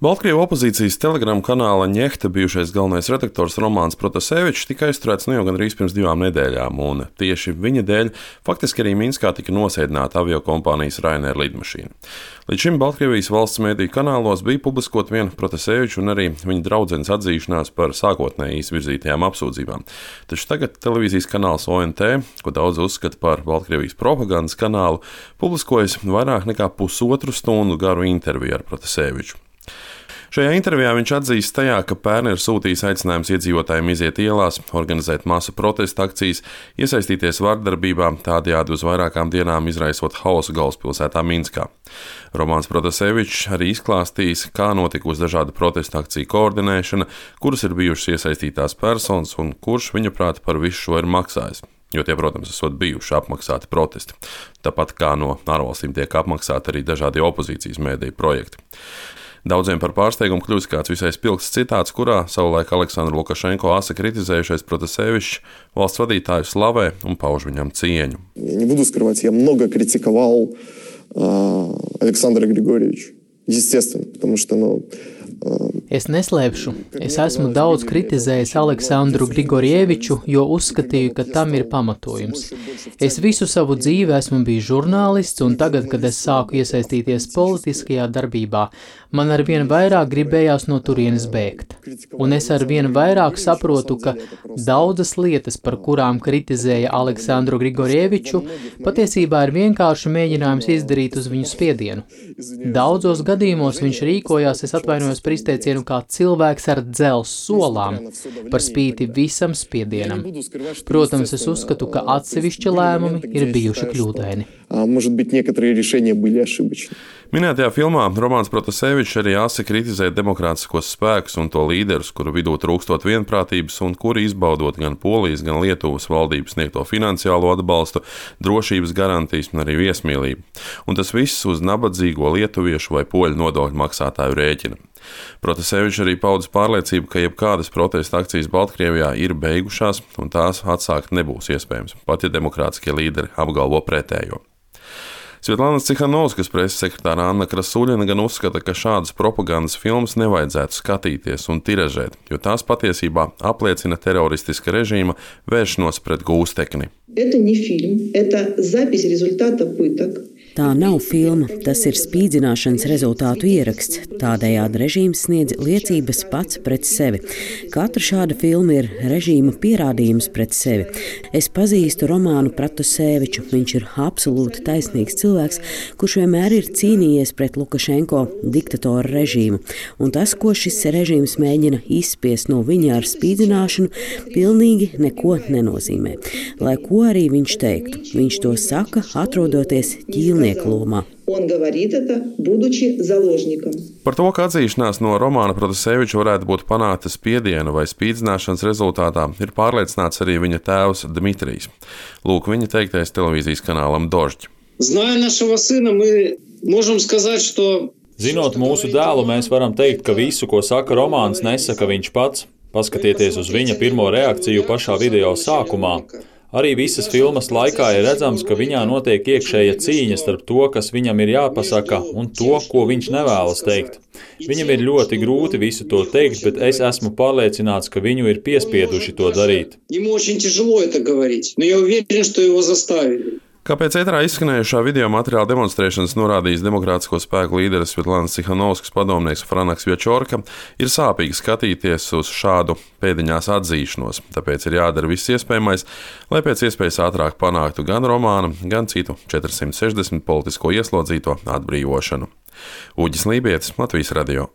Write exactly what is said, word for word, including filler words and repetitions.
Baltkrievu opozīcijas telegramu kanāla Ņehta bijušais galvenais redaktors Romāns Protasevičs tika aizturēts nu jau gandrīz pirms divām nedēļām, un tieši viņa dēļ faktiski arī Minskā tika nosēdināta aviokompānijas Ryanair lidmašīna. Līdz šim Baltkrievijas valsts mediju kanālos bija publiskot vien Protaseviča un arī viņa draudzenes atzīšanās par sākotnēji izvirzītajām apsūdzībām. Taču tagad televīzijas kanāls O N T, ko daudz uzskata par Baltkrievijas propagandas kanālu, publiskojas vairāk nekā pusotru stundu garu interviju ar Protaseviču. Šajā intervijā viņš atzīst tajā, ka pērn ir sūtījis aicinājums iedzīvotājiem iziet ielās, organizēt masu protesta akcijas, iesaistīties vardarbībā, tādējādi uz vairākām dienām izraisot hausu galvaspilsētā Minskā. Romāns Protasevičs arī izklāstījis, kā notikusi dažādu protesta akciju koordinēšana, kuras ir bijušas iesaistītās personas un kurš viņaprāt par visu šo ir maksājis. Jo tie, protams, esot bijuši apmaksāti protesti. Tāpat kā no ārvalstīm tiek apmaksāti arī dažādi opozīcijas mēdīju projekti. Daudziem par pārsteigumu kļūst kāds visai spilgts citāts, kurā savulaik Aleksandru Lukašenko asa kritizējušais Protasevičs valsts vadītāju slavē un pauž viņam cieņu. Не буду скрывать, я много критиковал Александра Григорьевича. Естественно, потому что, ну, Es neslēpšu, es esmu daudz kritizējis Aleksandru Grigorjeviču, jo uzskatīju, ka tam ir pamatojums. Es visu savu dzīvi esmu bijis žurnālists, un tagad, kad es sāku iesaistīties politiskajā darbībā, man arvien vairāk gribējās no turienes bēgt. Un es arvien vairāk saprotu, ka daudzas lietas, par kurām kritizēja Aleksandru Grigorjeviču, patiesībā ir vienkārši mēģinājums izdarīt uz viņu spiedienu. Daudzos gadījumos viņš rīkojās, es atvainojos par izteicienu, kā cilvēks ar dzelzs solām, par spīti visam spiedienam. Protams, es uzskatu, ka atsevišķi lēmumi ir bijuši kļūdaini. Minētajā filmā Romāns Protasevičs arī asi kritizē demokrātiskos spēkus un to līderus, kuru vidū trūkstot vienprātības un kuri izbaudot gan Polijas, gan Lietuvas valdības sniegto finansiālo atbalstu, drošības garantijas un arī viesmīlību. Un tas viss uz nabadzīgo lietuviešu vai poļu nodokļu maksātāju rēķina. Protasevičs arī paudis pārliecību, ka jebkādas protesta akcijas Baltkrievijā ir beigušās un tās atsākt nebūs iespējams, pat ja demokrātiskie līderi apgalvo pretējo. Svetlānas Cihanovskas preses sekretāra Anna Krasuļina gan uzskata, ka šādas propagandas filmas nevajadzētu skatīties un tiražēt, jo tās patiesībā apliecina teroristiska režīma vēršanos pret gūstekni. Tā nav filma, tas ir spīdzināšanas rezultātu ieraksts. Tādējādi režīms sniedz liecības pats pret sevi. Katra šāda filma ir režīma pierādījums pret sevi. Es pazīstu Romānu Protaseviču. Viņš ir absolūti taisnīgs cilvēks, kurš vienmēr ir cīnījies pret Lukašenko diktatoru režīmu. Un tas, ko šis režīms mēģina izspiest no viņa ar spīdzināšanu, pilnīgi neko nenozīmē. Lai ko arī viņš teiktu, viņš to saka, atrodoties ķīlniekā. Par to, ka atzīšanās no Romāna Protaseviča varētu būt panākta spiediena vai spīdzināšanas rezultātā, ir pārliecināts arī viņa tēvs Dmitrijs. Lūk, viņa teiktais televīzijas kanālam Dožģi. Zinot mūsu dēlu, mēs varam teikt, ka visu, ko saka Romāns, nesaka viņš pats. Paskatieties uz viņa pirmo reakciju pašā video sākumā. Arī visas filmas laikā ir redzams, ka viņā notiek iekšēja cīņa starp to, kas viņam ir jāpasaka, un to, ko viņš nevēlas teikt. Viņam ir ļoti grūti visu to teikt, bet es esmu pārliecināts, ka viņu ir piespieduši to darīt. Kāpēc ēterā izskanējušā video materiāla demonstrēšanas norādījis demokrātisko spēku līderis Svetlānas Cihanovskas padomnieks Franaks Vjačorka, ir sāpīgi skatīties uz šādu pēdiņās atzīšanos, tāpēc ir jādara viss iespējamais, lai pēc iespējas ātrāk panāktu gan Romāna, gan citu četri simt sešdesmit politisko ieslodzīto atbrīvošanu. Uģis Lībietis, Latvijas radio.